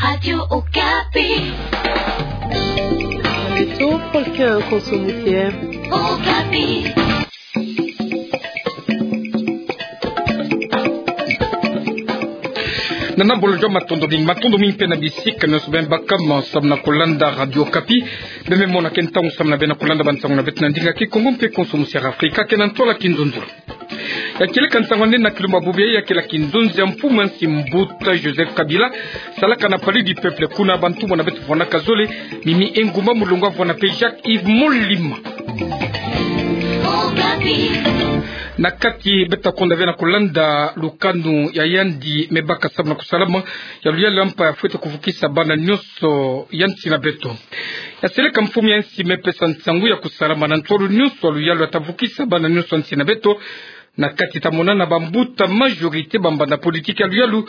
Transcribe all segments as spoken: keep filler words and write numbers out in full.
Radio Okapi. Beto, polka konso mutier. Okapi. Nana bolo joa matondo mingi, matondo mingi mpe na bisika nyonso beno baka mo samu na kolanda Radio Okapi. Beno me mona ke ntangu samu na beno na kolanda bansangu na beto na ndinga Kikongo mpe konso mutier Afrika, ke na ntwala Kinzonzi. Ya kieleka nsangu nene na kilumbu bubu yayi, ya kele kinzonzi ya mfumu ya nsi mbuta Joseph Kabila, salaka na Palais du Peuple, kuna bantumwa na beto vwandaka zole, Mimi Ngumba Mulongo avwanda mpe Jacques Yves Molima. Na kati beto konda ve na kolanda lukanu ya yandi me baka samu na kusalama ya luyalu ya mpa ya fwete kuvukisa bana nyonso ya nsi na beto. Ya seleka mfumu ya nsi me pesa nsangu ya kusalama na ntwala nyonso ya luyalu ya ta vukisa bana nyonso ya nsi na beto. Na kati ta mona na bambuta majorité bambanda politique ya luyalu,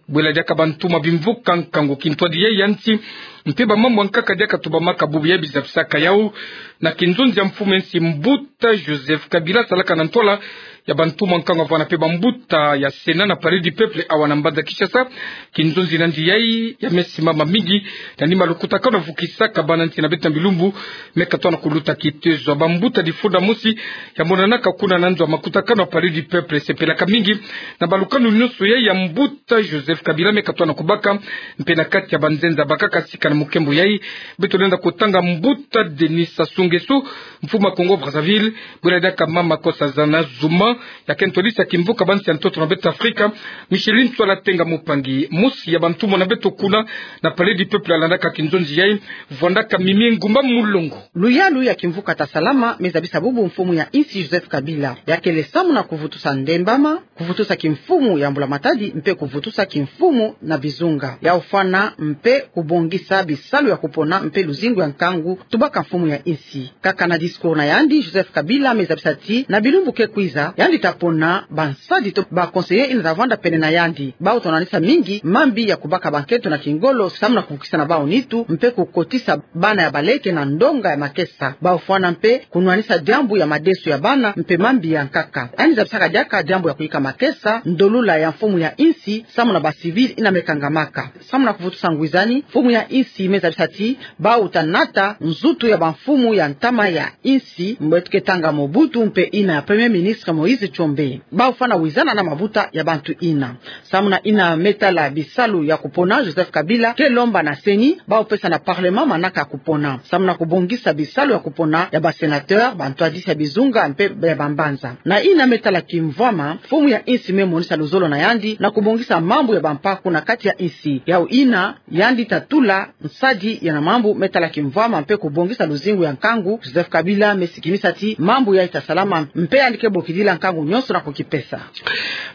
bwela diaka bantumwa bimvuka nkangu kintwadi yayi ya nsi, mpe bamambu ya nkaka diaka tubamaka bubu yayi bizabisaka yau. Na kinzonzi ya mfumu ya nsi mbuta Joseph Kabila salaka na ntwala ya bantumwa nkangu avwanda mpe bambuta ya Sénat na Palais du Peuple awa na mbanza Kinshasa. Kinzonzi na yandi yayi ya me simama mingi na nima lukutakanu ya vukisaka bana nsi na beto na bilumbu me katwana kuluta kitezo. Bambuta difunda mosi ya monanaka kuna na nzo ya makutakanu ya Palais du Peuple sepelaka mingi na balukanu nyonso yayi ya mbuta Joseph Kabila me katwana kubaka. Mpe na kati ya banzenza bakaka sika na mukembo yayi, beto lenda kutanga mbuta Denis Sassou Nguesso, mfumu ya Congo Brazzaville, bwela diaka mama Nkosazana Zuma, ya ke ntwadisi ya kimvuka bansi ya ntoto na beto Afrika. Micheline Ntsoila Tenga Mupangi, mosi ya bantumwa na beto kuna na Palais du Peuple alandaka kinzonzi yayi, vwandaka Mimi Ngumba Mulongo. Luyalu ya kimvuka ta salama me zabisa bubu mfumu ya nsi Joseph Kabila. Ya kele samu na kuvutusa ndembama, kuvutusa kimfumu ya Mbula Matadi, mpe kuvutusa kimfumu na bizunga. Yau fwana mpe kubongisa bisalu ya kupona mpe luzingu ya nkangu tubaka mfumu ya nsi. Kaka na discours na yandi, Joseph Kabila me zabisa ti na bilumbu ke kwiza, yandi ta pona bansadi to ba conseillers ina ta vwanda pene na yandi. Bau ta nwanisa mingi mambi ya kubaka bankento na kingolo samu na kuvukisa na bau nitu, mpe kukotisa bana ya baleke na ndonga ya makesa. Bau fwana mpe kunwanisa diambu ya madeso ya bana mpe mambi ya nkaka. Yandi zabisaka diaka diambu ya kuyika makesa, ndolula ya mfumu ya nsi, samu na ba civils ina me kangamaka. Samu na kuvutusa ngwizani, mfumu ya nsi me zabisa ti bau ta nata nzutu ya bamfumu ya ntama ya nsi, mbo eto ke tanga Mobutu mpe ina ya Premier Ministre Moïse Tshombe. Bau fwana wizana na mabuta ya bantu ina. Samu na ina me tala bisalu ya kupona, Joseph Kabila ke lomba na CENI bau pesa na Parlement manaka ya kupona samu na kubongisa bisalu ya kupona ya ba sénateurs, bantwadisi ya bizunga mpe ya bambanza. Na ina me tala kimvwama, mfumu ya nsi me monisa luzolo na yandi na kubongisa mambu ya bampa kuna kati ya nsi. Yau ina yandi ta tula nsadi ya na mambu me tala kimvwama mpe kubongisa luzingu ya nkangu, Joseph Kabila me sikimisa ti mambu yayi ta salama mpe yandi ke bokidila nkangu nyonso na kukipesa.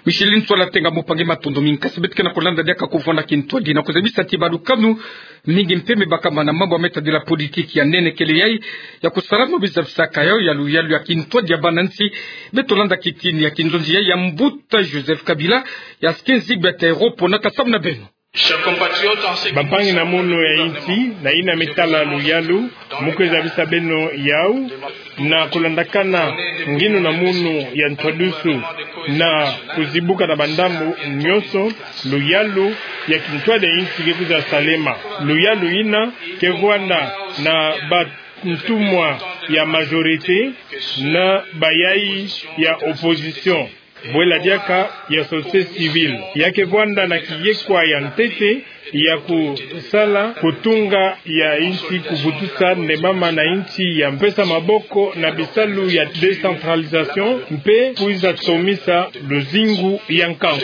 Micheline Ntsoila Tenga Mupangi, matondo mingi. Kasi beto ke na kulanda diaka kuvwanda kintwadi na kuzabisa ti balukanu mingi mpe me bakama na mambu ya me tadila politique ya nene kele yayi ya kusalama bizabisaka yau ya luyalu ya kintwadi ya bana nsi. Beto landa kitini ya kinzonzi yayi ya mbuta Joseph Kabila, ya sike nzigba ya ta ero pona ka samu na beno. Bampangi na munu ya nsi, na ina me tala luyalu, mu kwe zabisa beno yau, na kulandakana nginu na munu ya ntwadusu na kuzibuka na bandambu nyonso, luyalu ya kintwadi ya nsi ke kwiza salema. Luyalu ina ke vwanda na bantumwa ya majorité na bayayi ya opposition, bwela diaka ya société civile. Ya ke vwanda na kiyekwa ya ntete ya kusala kutunga ya nsi, kuvutusa ndembama na nsi ya mpesa maboko na bisalu ya décentralisation mpe kwiza tomisa luzingu ya nkangu.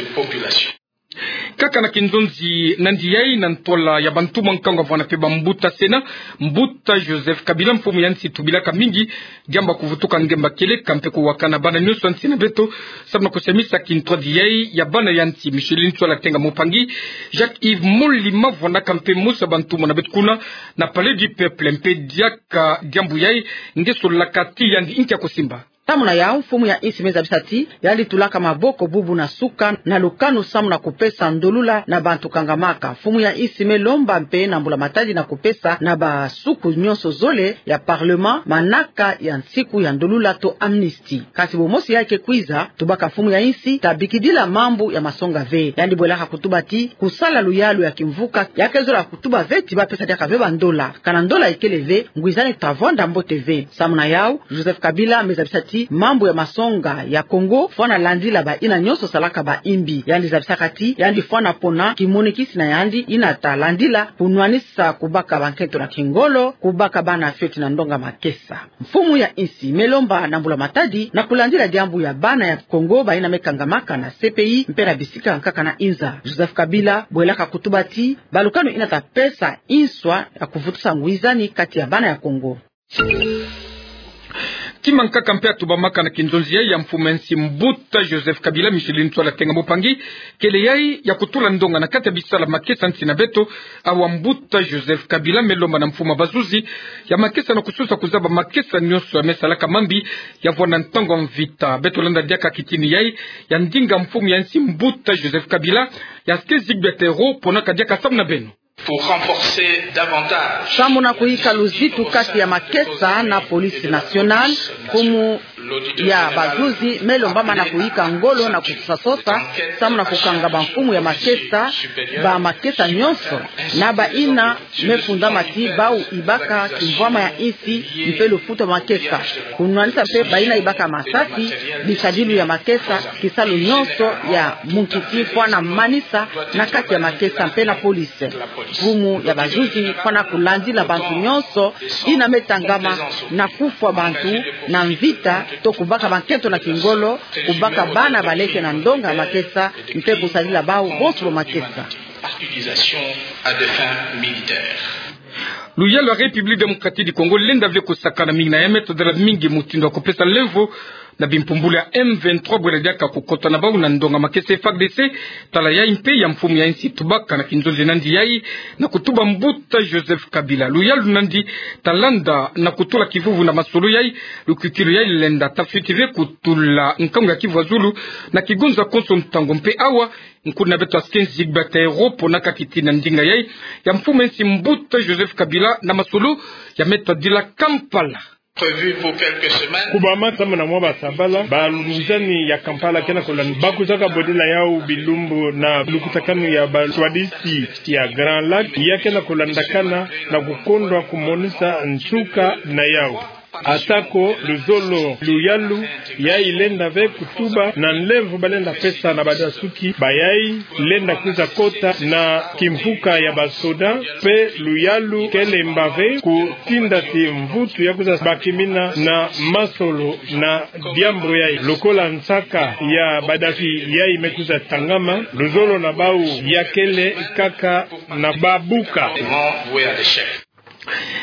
Kaka na kinzonzi na yandi yayi na ntwala ya bantumwa nkangu avwanda mpe bambuta Sénat, mbuta Joseph Kabila, mfumu ya nsi tubilaka mingi diambu ya kuvutuka ngemba kieleka mpe kuwakana bana nyonso ya nsi na beto samu na kusemisa kintwadi yayi ya bana ya nsi. Micheline Ntsoila Tenga Mupangi, Jacques Yves Molima vwandaka mpe mosi ya bantumwa na beto kuna na Palais du Peuple, mpe diaka diambu yayi nge solaka ti yandi nki ya kusimba. Samu na yau, mfumu ya insi me zabisa ti yandi tulaka maboko bubu na suka na lukanu samu na kupesa ndolula na bantu kangamaka. Mfumu ya insi me lomba mpe na mbula matadi na kupesa na basuku nyonso zole ya parlement manaka ya nsiku ya ndolula to amnistie. Kasi bomosi yai ke kwiza, tubaka mfumu ya insi ta bikidila mambu ya masonga ve. Yandi bwelaka kutuba ti kusala luyalu ya kimvuka ya ke zola kutuba ve ti ba pesa diaka ve bandola. Kana ndola ikele ve, ngwizani ta vwanda mbote ve. Samu na yau, Joseph Kabila me zabisa ti mambu ya masonga ya Congo fwana landila ba yina nyonso salaka ba imbi. Yandi zabisaka ti yandi fwana pona kimonikisi na yandi yina ta landila kunwanisa kubaka bankento na kingolo, kubaka bana fioti na ndonga makesa. Mfumu ya insi me lomba na mbula matadi na kulandila diambu ya bana ya Congo ba yina me kangamaka na C P I mpe na bisika nkaka na inza. Joseph Kabila bwelaka kutuba ti ba lukanu yina ta pesa inswa ya kuvutusa ngwizani kati ya bana ya Congo. Ti mankaka mpe ya tubamaka na kinzonzi yai ya mfumu ya insi mbuta Joseph Kabila, Micheline Ntsoila Tenga Mbupangi, kele yai ya kutula ndonga na kati ya bisala makesa nsi na beto. Awa mbuta Joseph Kabila me lomba na mfumu ya bazuzi ya makesa na kusosa kuzaba makesa nyonso ya me salaka mambi ya vwanda ntangu ya mvita. Beto landa diaka kitini yai ya ndinga mfumu ya insi mbuta Joseph Kabila, ya Skezik Betero, ponaka diaka samu na beno. Pour renforcer davantage. Samu na kuyika luzitu kati ya makesa na police nationale, mfumu ya bazuzi me lomba mana kuyika ngolo na kusosasosa samu na kukanga bamfumu ya makesa, ba makesa nyonso, na ba yina me fundama ti bau ibaka kimvwama ya insi mpe lufuta makesa. Kunwanisa mpe ba yina ibaka masasi, bisadilu ya makesa, kisalu nyonso ya munkisi fwana manisa na kati ya makesa mpe na police. Mfumu ya bazuzi fwana kulandila bantu nyonso yina me tangama na kufwa bantu na mvita to kubaka bankento na kingolo, kubaka bana baleke na ndonga makesa mpe kusadila bau bonso ba makesa. Utilisation à des fins militaires. Luyalu ya République Démocratique du Congo lenda ve kusakana mingi na ya me todela mingi mutindu ya kupesa lemvo na bimpumbulu ya M vingt-trois bwela diaka kukota na bau na ndonga makesa. F A R D C tala yai mpe ya mfumu ya insi tubaka na kinzonzi nandi yai na kutuba mbuta Joseph Kabila. Luyalu nandi ta landa na kutula kivuvu na masolo yai, lukwikilu yai lenda ta fioti ve kutula nkangu ya kivu ya zulu na kigonza konso ntangu. Mpe awa, nkuna beto Skezik Betero ponaka kitini na ndinga yai ya mfumu ya insi mbuta Joseph Kabila na masolo ya me tadila Kampala. Prévu pour quelques semaines. Kubama samu na mwa basabala, bangwizani ya Kampala ke na kulanda, ba kwizaka bodila yau bilumbu na lukutakanu ya baswadisi ya Grand Lac, ya ke na kulandakana na kukondwa kumonisa nsuka na yau. Atako luzolo luyalu yai lenda ve kutuba na nlemvo balenda pesa na badasuki ba yai lenda kwiza kota na kimvuka ya basoda, mpe luyalu ke lemba ve kutinda ti mvutu ya kwiza bakimina na masolo na diambu yai. Lokola nsaka ya badasuki yai me kwiza tangama, luzolo na bau ya kele kaka na babuka.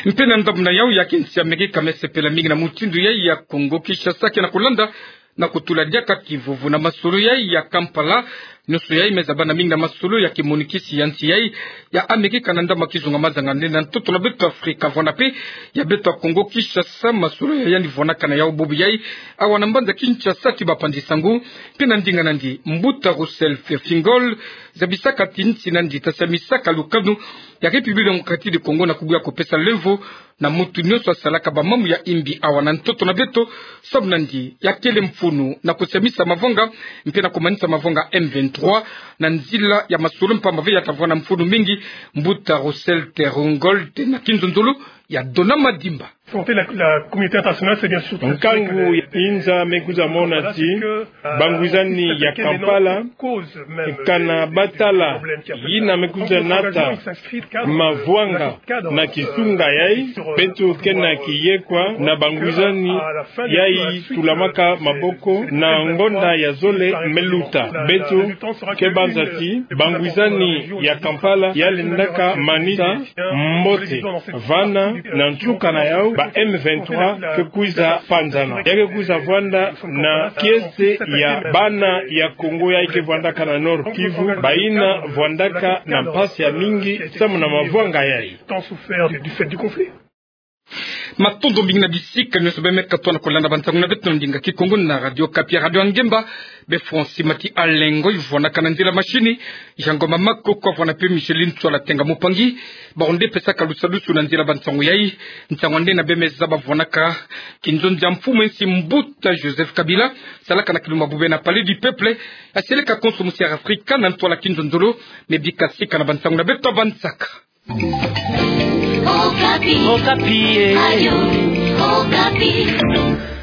Mpe na ndambu na yau, ya kinsi Amerika me sepela mingi na mutindu yai ya Congo Kinshasa ke na kulanda na kutula diaka kivuvu na masolo yai ya Kampala. Nyonso yai me zabana mingi na masolo ya kimonikisi ya nsi yai ya Amerika na ndambu ya kizunga mazanga nde na ntoto na beto Afrika, vwanda mpe ya beto ya Congo Kinshasa. Masolo ya yandi vwanaka na yau bubu yai awa na mbanza Kinshasa ti bapanzi sango. Mpe na ndinga nandi, mbuta Russell Feingold zabisaka ti nsi nandi ta samisaka lukanu ya République Démocratique du Congo na kubuya kupesa lemvo na mutu nyonso asalaka bamambu ya imbi awa na ntoto na beto, samu nandi ya kele mfunu na kusamisa mavanga mpe na kumanisa mavanga M vingt-trois na nzila ya masolo mpamba ve ya ta vwanda mfunu mingi. Mbuta Russell Feingold na kinzonzolo ya Donama Dimba. Santé, la, la communauté internationale, c'est bien sûr. Nkangu ya inza me kwiza mona ti bangwizani ya Kampala kana batala yina me kwiza nata mavanga na kisunga yai. Beto ke na kiyekwa na bangwizani yai tulamaka maboko na ngonda ya zole me luta. Beto ke banza ti bangwizani ya Kampala ya lendaka manisa mbote vana na nsuka na yau ba M vingt-trois ke kwiza panzana. Ya ke kwiza vwanda na kiese ya bana ya Congo yai ke vwandaka na Nord Kivu, ba yina vwandaka na mpasi ya mingi samu na mavanga yai. Tant souffert du, du fait du conflit. Matondo mingi na bisika nyonso beme katoa na kolanda bansangu na beto na ndinga Kikongo na Radio Okapi, Radio Angemba. Be Francis Mati Alengo, ivwanaka na nzila mashini. Yango mama koko avwana pe Micheline Tswala Tenga Mupangi. Bawu nde pesaka lusalusu na nzila bansangu yayi. Nsangu nde na beme zaba vwanaka kinzonzi ya mfumu ensi mbuta Joseph Kabila, salaka na kilumbu bubena Palais du Peuple. Asieleka konso musi ya Afrika na ntwala kinzonzolo. Me bika sika na bansangu na beto ya bansaka. Okapi. Okapi, eh. Radio Okapi.